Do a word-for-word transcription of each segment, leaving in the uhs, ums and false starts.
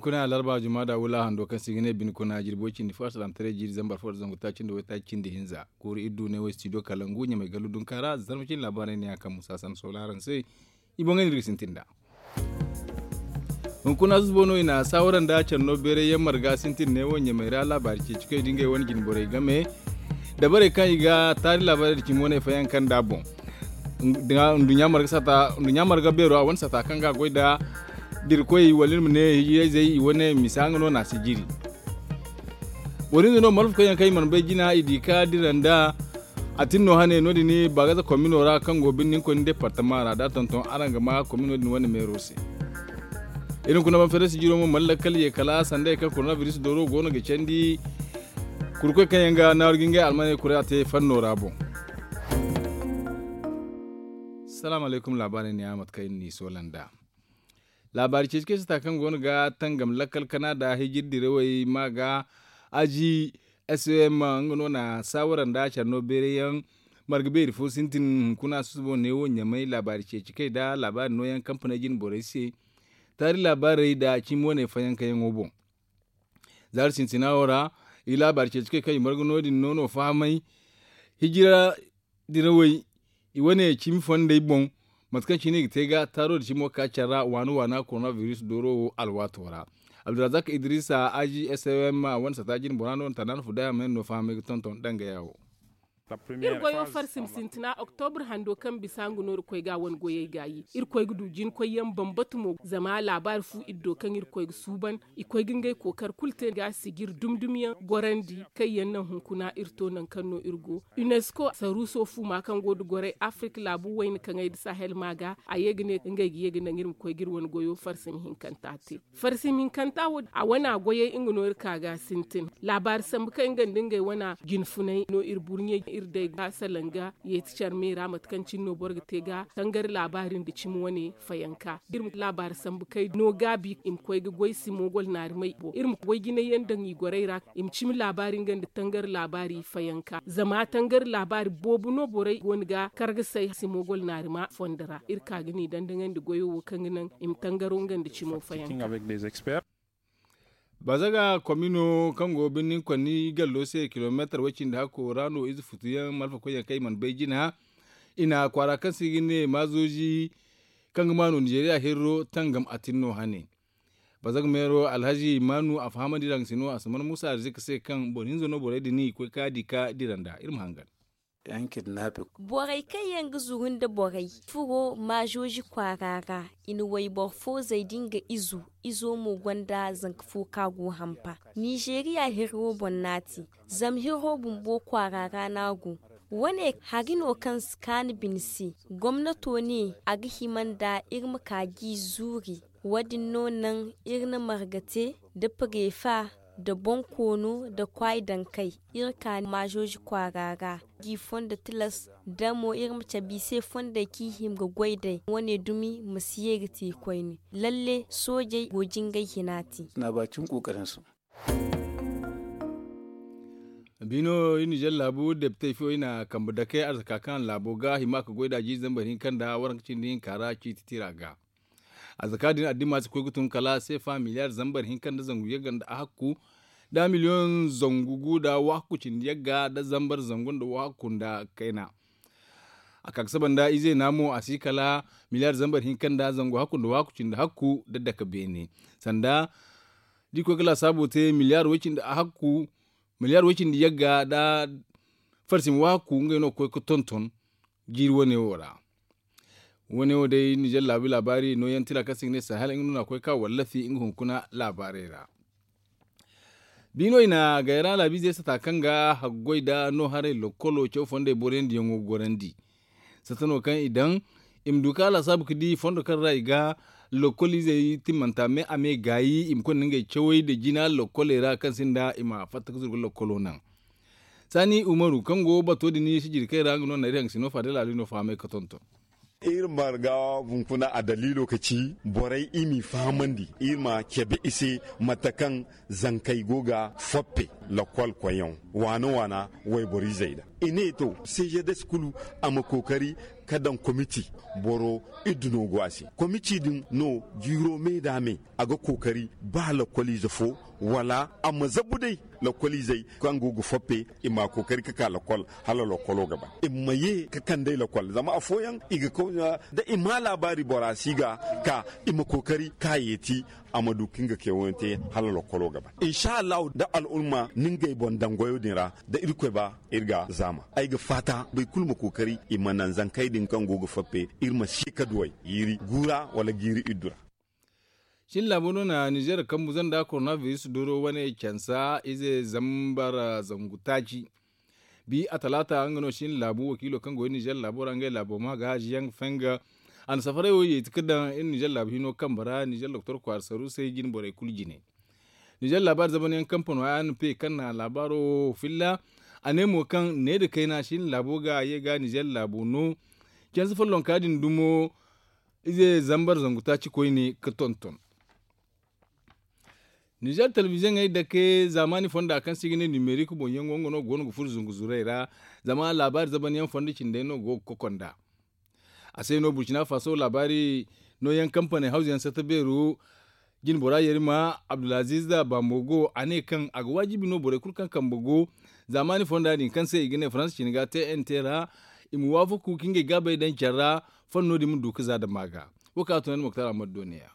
Kuna larba juma da wula hando kaŋ se i ga ne bine kuna jirbi way cindi fo asalamtaray jiiri zambar fo da zangu taaci nda waytaaci cindi hinza kuuru iri du ne wo studio kalangu ɲamay gallu dunka ra zarma cine laabaarey ne ya kaŋ musa san sola araŋ se. I boŋ ga no iri ga sintin nd'a. Hunkuna zubo no i na saawara nda care no beeray yaŋ marga sintin ne wo ɲamay ra laabaari ceeci kaŋ i di ngey wane jine borey game dabarey kaŋ i ga taari laabaarey da cimi wane fayanka nd'a boŋ. Nduɲɲa marga beero a wane sata kaŋ ga a goy nda dirkoy wala iri ma ne hijirayzey i wane misa nga no na si jiri. Boro hinza no malfa koyyaŋ kaŋ i mana bay jina i di ka dira nda a tin no hane no- din baagaza komino ra kaŋ go birni ni koy ni departama ra da tonton araŋ ga ma komino din wane meero se. Iri hunkuna ban fere sijiro mo mana lakkal ye kala sanday kaŋ korona biris dooro go no ga candi. Kurkoy kaŋ yaŋ ga naaru ga ngey almaney kuray a te fanno ra boŋ. Salaamu alaykum laabaarey ne ya mate kaŋ iri n'i soola nd'a. Laabaari ceeci kaŋ ay si ta kaŋ go no ga tangam lakkal kana nda hijir dirawey ma ga aji som nga no na saawara nda care no beeray yaŋ marga beeri fo sintin hunkuna susubo ne wo ɲamay laabaari ceeci kay nda laabaari nooyaŋ kampaney jine borey se. Taari laabaarey nda cimi wane fayankayaŋo boŋ. Zaari sintina wo ra i laabaari ceeci kay kaŋ i marga no- din no no fahamay hijira dirawey i wane cimi fondey boŋ. Mate kaŋ cine i ga te ga taaro da cimo ka care ra waana waana korona biris dooro wo alwaato ra. Abdulrazak idrisa aji som wane sata jine bora no na tanaana fu day a ma ne no fahamay ga tonton dangaya wo. Iri goyo farsim sintina oktobur hando kaŋ bisa nga no iri koy ga wane goyey gaayi iri koy ga du jinkoy yaŋ bambata mo zama laabaari fu iri do kaŋ iri koy ga suuban i koy ga ngey kookari kulu te ga sijir dumdumyaŋ gorandi kaŋ yaŋ naŋ hunkuna iri to nangu kaŋ no iri go. Unesco saruuso fuuma kaŋ go nda gorey afirka laabu wayna kaŋey nda sahel ma ga a ye ga ne ngey ga ye ga naŋ iri ma koy ga iri wane goyo farsim hinkanta te. Farsim hinkanta wo a wana goyey nga no iri ka ga sintin laabaari sambu kaŋ nga nda ngey wana jinfunay no iri burɲey iri day ga salanga yeeti care me ra mate kaŋ cine no boro ga te ga tangari laabaari nda cimi wane fayanka iri ma laabaari sambu kay no gaabi i ma koy ga goy simo gol naarimay boŋ iri ma goy jinay yaŋ daŋ i gorey ra i ma cimi laabaari nga nda tangari laabaari fayanka zama tangari laabaari boobo no borey go no ga kar ga say simo gol naarima fondo ra iri ka ga n'i dandaŋandi goyo wo kaŋ ga naŋ i ma tangaro nga nda cimo fayanka. Bazaga komino kaŋ go birnin konni gallo se kilomeetar way cindi hakko ra no ize futuyaŋ malfakoyyaŋ kaŋ i mana bay jina i na kwaara kaŋ se i ga ne maazoji kaŋ ga maanu nizeeriya hirro tangam a tin no hane. Bazaga meero alhazi maanu a fahamandi ra nga se no a samar musa arzika se kaŋ boro hinza no borey din i koy ka di ka dira nda iri ma hangan. Borey kaŋ yaŋ ga zuru nda borey furo maazoji kwaara ra i na wayboro fo zay da nga izo izo mo gonda zanka fo kaŋ a go hampa. Nizeeriya hiro boŋ no a te zama hiro bumbo kwaara ra no a go. Wane hari no kaŋ si kaanu bine se gomnato ne a ga hima nda iri ma ka g'i zuuri. Wo- din no naŋ iri na marga te nda pareefa nda boŋ koono nda kwaay daŋ kay iri ka maazoji kwaara ra. G'i fondo tilas da mo iri ma cabe i se fondey kaŋ i hima ga goy day wane dumi ma si ye ga te koyne. Lalle soojey go jingay hina te. Bino iri nizer laabu depitey fo i na kambe dake arzaka kaŋ laabo ga hima ga goy nd'a jiiri zambar hinka nda waranka cindi hinka ra ciiti tira ga. Arzaka din addima si koy ga tun kala seefa miliyar zambar hinka nda zangu yagga nda ahakku nda miliyoŋ zangu gu nda wahakku cindi yagga nda zambar zangu nda wahakku nda kayna. A ka ga saba nda ize na mo a si kala miliyar zambar hinka nda zangu hakku nda wahakku cindi hakku nda dake beene sanda da i koy ga laasaabo te miliyar way cindi ahakku miliyar way cindi yagga nda farsim wahakku ngey no ga koy ga tonton jiiri wane wo ra. Wane wo day nizer laabu laabaari nooyaŋ tira kaŋ se i ga ne sahel nga no na koy ga ka wallafi nga hunkuna laabaarey ra. Biino i na gayra laabiizey sata kaŋ ga haggoy nda no haray lokkolo caw fondey boroyandiyaŋo gorandi. Sata no kaŋ i daŋ i ma du ka laasaabu ga di fondo kaŋ ra i ga lokkoliizey timmanta me a me gaayi i ma konda ngey cawey nda jina lokkoley ra kaŋ sinda i ma fatta ga zuru ga lokkolo naŋ. Saani umaru kaŋ go bato din sijiri kaŋ i ra nga no na iri haŋ ga si no faada laali no fahamay ga tonton. Iri marga hunkuna a daliilo ga ci borey i m'i fahamandi iri ma cabe i se mate kaŋ zankey go ga foppe lakkol koyyaŋ waana waana wayboriizey ra. I ne to sezedes kulu a ma kookari Ka daŋ komiti boro iddu no go a se. Komiti din no jiiro me da me a ga kookari ba lakkoliize fo wala a ma zabu day lakkoliizey kaŋ go ga fappe i ma a kookari ka ka lakkol hala lakkolo ga ban i ma ye ka kand'ey lakkol zama afooyaŋ i ga kawya da i ma laabaari bora si ga ka i ma kookari ka a yeeti a ma du ka nga keewayaŋ te hala lakkolo ga ban insa allahu da al'umma na ngey boŋ daŋ goyo din ra da irkoy ba iri ga zaama ay ga faata boro kulu ma kookari i ma naŋ zankey din kaŋ go ga fappe iri ma si ka duw'ey jiiri gu ra wala jiiri iddu ra. Cin laabo no na nizer kambu zanda koronabiris doro wane cansa ize zambar zangu taaci. Bi a talaata nga no cin laabu wakiilo kaŋ go iri nizer laabo ra ngey laabo ma ga haziyaŋ fenga a na safaray wo yeeti ka daŋ iri nizer laabu hino kambe ra nizer doktor kwaara saru se jine borey kulu jine. Nizer laabaari zamanyaŋ kampano a n p kaŋ na laabaaro wo filla a ne mo kaŋ ne nda kayna cin laabo ga ye ga nizer laabo no. Canse follonka din dumo ize zambar zangu taaci koyne ka tonton. Nizer telebiziyoŋey dake zaamaani fonda kaŋ se i ga ne nimerik boŋyaŋo nga no go no ga furo zungu zurey ra. Zama laabaari zamanyaŋ fondo cindey no go ga kokonda. A se no burkina faso laabaari nooyaŋ kampaney hawzuyaŋ satta beero jinbora yerima abdulaziz bambogo a ne kaŋ a ga waajibi no borey kulu kaŋ kambe go zaamaani fonda din kaŋ se i ga ne faransa cine ga te n te ra. I ma waafaku ka ngey gaabey daŋ care ra. Fanno din ma du ka za dama ga wo kaŋ a tunandi moktar ahmad do ne-ya.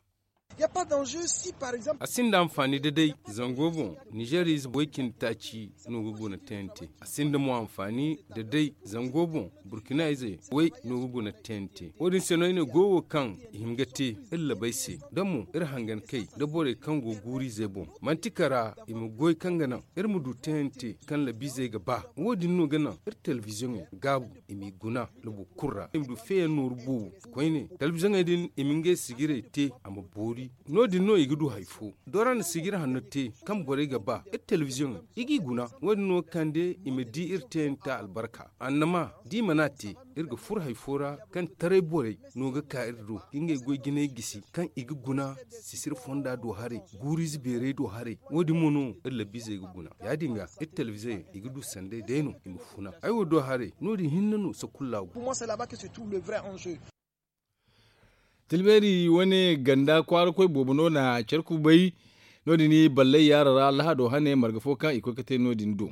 A sinda anfaani da day zango boŋ nizer ize way cindi taaci no ga guna tnt. A sinda mo anfaani da day zango boŋ burkina ize way no ga guna tnt. Wo- din se no ay ne goyo wo kaŋ i hin ga te iri labey se da mo iri hangan kay da borey kaŋ go guuru ize boŋ manti kara i ma goy kaŋ ga naŋ iri ma du tnt kaŋ labiizey ga ba. Wo- din no ga naŋ iri telebiziyoŋey gaabu i m'i guna labo kulu ra i ma du feeyaŋ nooru boobo. Koyne telebiziyoŋey din i ma ngey sijirey te a ma boori. No- din no i ga du hari fo dora na sijir hanno te kaŋ borey ga ba iri telebiziyoŋey i g'i guna. Wo- din no ga kande i ma di iri teeyanta albarka annama da i mana te iri ga furo hari fo ra kaŋ taray borey no ga ka iri do ka ngey goy jinay gisi kaŋ i ga guna sisir fonda do haray guuru ize beeray do haray. Wo- din mo no iri labiizey ga guna ya- din ga iri telebiziyoŋey i ga du sanday day no i ma funa ay wo do haray no- din hinne no sakulla go. Tilbeeri wane ganda kwaara koy boobo no na care kubay. No- din ballay yaara ra lahado hane marga fo kaŋ i koy ga te no- din do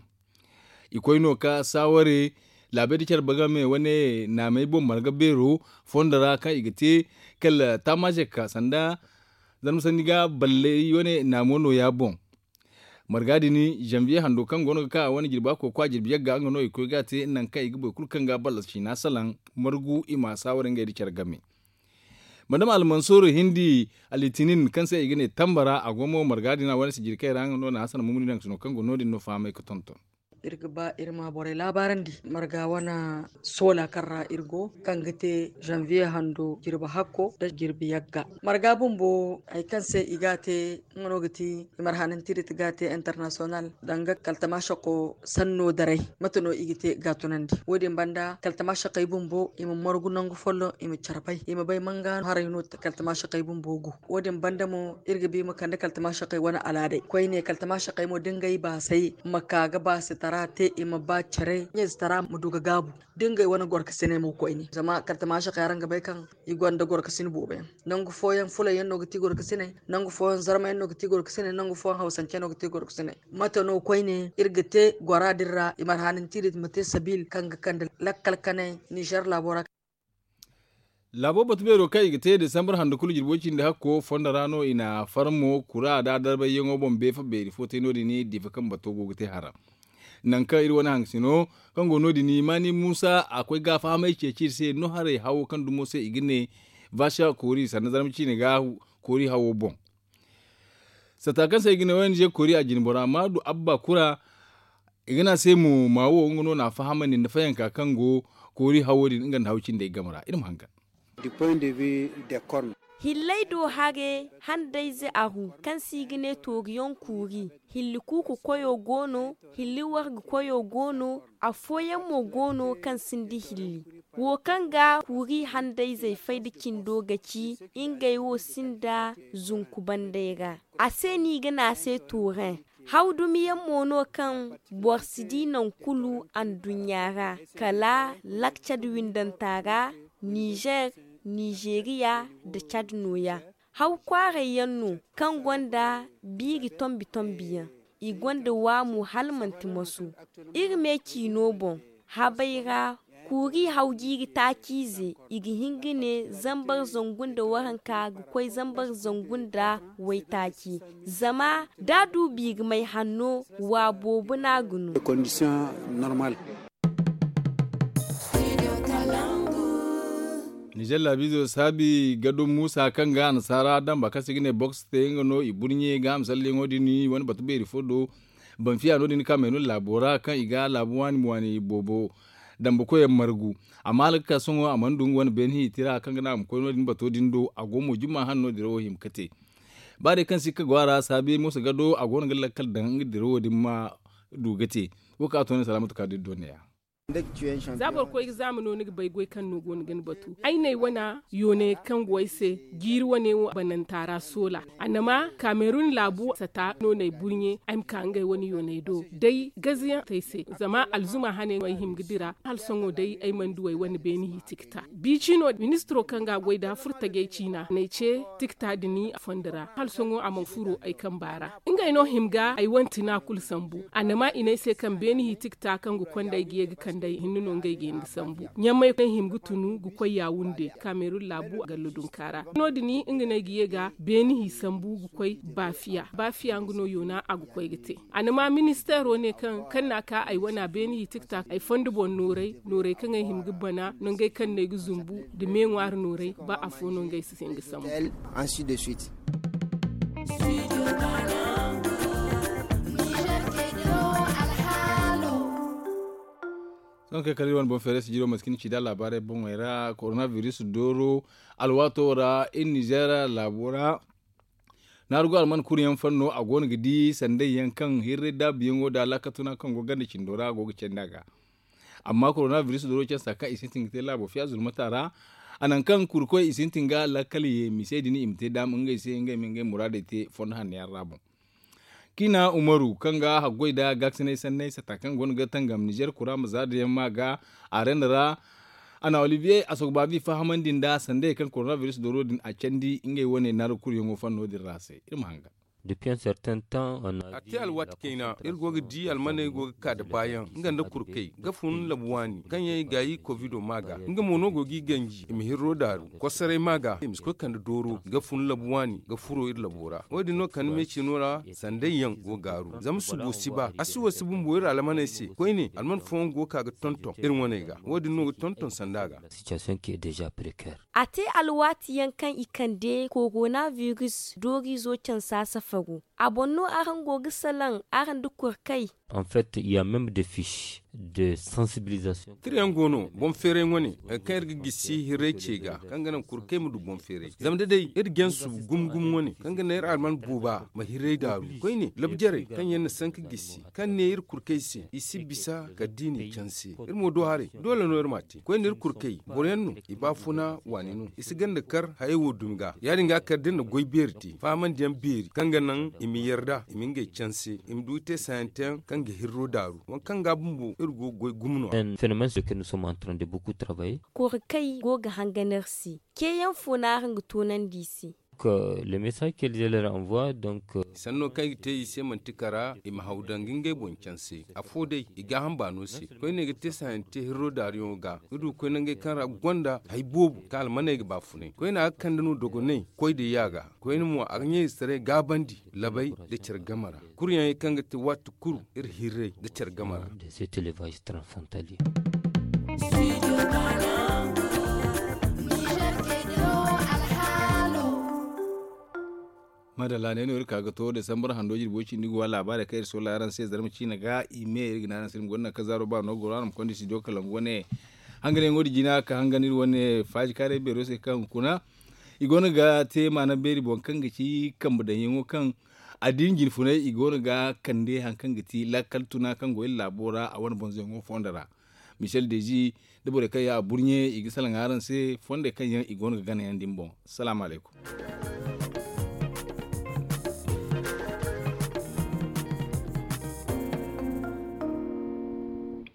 i koy no ka saaware laabey da care bagame wane naamey boŋ marga beero fondo ra kaŋ i ga te kala taamaaze ka sanda zarma sanni ga ballay wane naamo nooya boŋ. Marga din zanviye hando kaŋ go no ga ka a wane jirba kooko a jirbi yagga nga no i koy ga a te nangu kaŋ i ga boro kulu kaŋ ga ballas ciina salaŋ margu i ma saaware ngey nda care game. Madama almansur hindi alitinin kaŋ se i ga ne tambara a go mo marga din a wane sijiri kaŋ i ra nga no na hasan mumuni nangu sino kaŋ go no- din no fahamay ga tonton. Iri ga ba iri ma borey laabaarandi marga wane soola kaŋ ra iri go kaŋ ga te zanviye hando jirbi hakko nda jirbi yagga. Marga bumbo hari kaŋ se i ga a te nga no ga ti i marhanantirit ga te international danga kaltamaasako sanno daray. Mate no i ga te ga a tunandi wo- din banda kaltamaasakey bumbo i ma margu nangu folloŋ i ma care bay i ma bay manga haray no kaltamaasakey bumbo go. Wo- din banda mo iri ga ba i ma kande kaltamaasakey wane alaaday koyne kaltamaasakey mo da ngey baasay ma ka ga baasitara te i ma ba care ɲayzitara ma du ga gaabu. Da ngey wane gorkasiney mo koyne zama kaltamaasakey araŋ ga bay kaŋ i gonda gorkasin boobo yaŋ. Nangu fooyaŋ fulay yaŋ no ga ti gorkasiney, nangu fooyaŋ zarma yaŋ no ga ti gorkasiney nangu fooyaŋ hawsance yaŋ no ga ti gorkasiney. Mate no koyne iri ga te gora din ra i marhanantiri ma te sabiil kaŋ ga kande lakkal kanay nizer laabo ra. Laabo batu beero kaŋ i ga te desambar hando kulu jirbo cindi hakko fondo ra no i na farmo kura da darbay yaŋo boŋ beefa beeri fo te no- din difa kaŋ bato go ga te hara. Nangu kaŋ iri wane hangasino kaŋ go no- din maani muusa a koy ga fahamay ceeci iri se no haray hawo kaŋ dumo se i ga ne vaasa koori sanda zarma ciine ga koori hawo boŋ. Satta kaŋ se i ga ne ong koori a jine bora ma du abba kura. I ga ne a se mo ma wo nga no na a fahamandi nda fayanka kaŋ go koori hawo din nga nda haw cindey game ra iri ma hangan. Hilley do hare handayze aru kaŋ se i ga ne tooriyaŋ kuuri. Hilli kuuku koyo go no. Hilli warga koyo go no. Afooyaŋ mo go no kaŋ sinda hilli. Wo kaŋ ga kuuri handayzey fay nda cindo ga ci ngey wo sinda zunku banday ra. A se no i ga ne a se tuuren. Haw dumiyaŋ mo no kaŋ boro si di nangu kulu anduɲɲa ra kala lakcad windanta ra. Nizer, nizeriya, nda cad nooya. Haw kwaaray yaŋ no kaŋ gonda biiri tombi tombi yaŋ. I gonda waamu hala manti moso. Iri me ciino boŋ habay ra, kuuri haw jiiri taaciize, i ga hin ga ne zambar zangu nda waranka ga koy zambar zangu nda waytaaci. Zama da a du biiri may hanno, wa boobo no a ga no. Nizer laabiizo saabi gado muusa kaŋ ga annasaara damba kaŋ se i ga ne boks te nga no i burɲe ga a ma salleyaŋo din i wane batu beeri fo do. Banfiya no- din kamerun laabo ra kaŋ i ga laabu waani waani boobo damba koyyaŋ margu. Amma hala ga ka sohõ a mana du nga wane beene hiiti ra kaŋ ga naŋ a ma koy no- din bato din do a go mo jumma hanno dirawo hima ga te. Ba day kaŋ si ga go a ra saabi mooso gado a go no ga lakkal daŋ nga dirawo din ma du ga te. Wo kaŋ a to ne salaamatu ka da iri do ne- ya. Za boro koy ga zaama no ni ga bay goy kaŋ no go no ga ni batu ay n'ay wana yooney kaŋ go ay se. Jiiri wane wo bananta ra soola. Annama kamerun laabu sata no n'ay burɲe ay ma ka ngey wane yooney do day gazayaŋ te ay se. Zama alzuma hane no ay hima ga dira hala sohõ day ay mana du ay wane beene hiiti ga ta. Biicino ministiro kaŋ ga a goy nd'a furtajey ciina n'ay ce tikta din a fondo ra hala sohõ a mana furo ay kamba ra. Ngey no hima ga ay wane tina kulu sambu. Annama i ne ay se kaŋ beene hiiti ga ta kaŋ ga konda ay ga ye ga kande ay hinne no ngey ga hin ga sambu. Ɲamay kaŋ hima ga tunu ga koy yaawunde kamerun laabu gallo dunka ra no- din nga no ay ga ye ga beene hi sambu ga koy baafiya baafiya nga no yoona a ga koy ga te. Annama ministeero ne kaŋ kaŋ n'a ka ay wana beene hiiti ga ta ay fondo boŋ nooray nooray kaŋ ay hima ga bana nangey kaŋ no ay ga zumbu nda me ŋwaari nooray ba afo no ngey si hin ga sambu. Sohõ kaŋ kala iri wane boŋ feeray sijiro mate kaŋ ni ci nd'a laabaarey boŋey ra korona biris dooro alwaato ra iri nizeer laabo ra. Naaru go alman kuri yaŋ fanno a go no ga di sanday yaŋ kaŋ hirray daabu yaŋo nda alaakatuna kaŋ go ganda cindo ra a go ga candi a ga. Amma korona biris dooro cansa kaŋ i sintin ga te laabo fiya zulmata ra a nangu kaŋ kurkoy i sintin ga lakkal ye mise din i ma te daama ngey se ngey ma ngey muraadey te fondo hanno yaŋ ra boŋ. Kiina umaru kaŋ ga haggoy nda gaakasinay sanney sata kaŋ go no ga tangam nizer kura ma za da yaŋ ma ga arena ra. A na olivier a sogba bi fahamandi nda sandey kaŋ korona biris dooro din a candi ngey wane naaru kuri yaŋo fanno din ra se iri ma hangan. A te alwaati kayna iri go ga di almaney go ga ka da baayaŋ nga nda kurkey ga fun labu waani kaŋ yaŋ i gaayi kovido ma ga nga mo no go ga i ganji i ma hirro daaru kosoray ma ga i ma si koy kande dooro ga fun labu waani ga furo iri labo ra wo- din no kande meecino ra sanday yaŋ go gaaru zama subo si ba a si wo si bumbo iri almaney se koyne alman fooyaŋ go ga ka ga tonton iri wane ga wo- din no ga tonton sanda ga. A te alwaati yaŋ kaŋ i kande korona biris doorizo cansa safaro a boŋ no araŋ go ga salaŋ araŋ nda kurkey. En fait il y a même des fiches de sensibilisation. Tirayaŋ go no boŋ feeray wane hari kaŋ iri ga gisi hirray ce ga kaŋ ga naŋ kurkey ma du boŋ feeray zama da day iri jansu gumo gumo wane kaŋ ga naŋ iri alman booba ma hirray daaru koyne labu jarey kaŋ yaŋ na sanka gisi kaŋ ne iri kurkey se i si bisa kala da i n'i canse iri mo do haray doole no iri m'a te koyne iri kurkey boro yaŋ no i baafuna waani no i si ganda kar hayey wo dumi ga ya- din ga kala da iri na goy beeri te fahamandi yaŋ beeri kaŋ ga naŋ i ma yarda i ma ngey canse i ma du i te saayanteyaŋ kaŋ ga hirro daaru waŋ kaŋ ga bumbo iri go ga goy gumo no- ya. Fenomens de ke nous sommes en train de beaucoup travailler. Kori kaŋ i go ga hangan iri se ceeyaŋ fo no araŋ ga toonandi i se. Le message que lidel envoie donc. Sanno kaŋ i ga te i se manti kara i ma haw daŋ ga ngey boŋ canse afo day i gaaham baano se koyne ga te saayante hirro daariyaŋo ga ga du ga koy nangey kaŋ ra ga gonda hari boobo kaŋ almaney ga baafunay koyne a ga kande no dogoney koy da yaaga koyne mo a ga ɲayzetaray gaabandi labay nda care game ra. Kuryaŋey kaŋ ga te waati kulu iri hirray nda care game ra. Madalla ne no iri ka ga to desambar hando jirbo cindi ga wa laabaarey kaŋ iri solla araŋ se zarma ciina ga i me iri ga ne araŋ se iri ma gonda naŋ kaŋ zaaro ba no goro araŋ ma konda studio kalangu wane hanganyaŋo din jina ka hangan iri wane faaji kaaray beero se kaŋ hunkuna i go no ga te maana beeri boŋ kaŋ ga ci kambe daŋyaŋo kaŋ addiini jinfunay i go no ga kande hari kaŋ ga ti lakkal tuna kaŋ go iri laabo ra a wane bonzoyaŋo fondo ra. Michel dezi nda borey kaŋ yaŋ a burɲe i ga salaŋ araŋ se fondey kaŋ yaŋ i go no ga ganayaŋ din boŋ. Salaamu alaykum.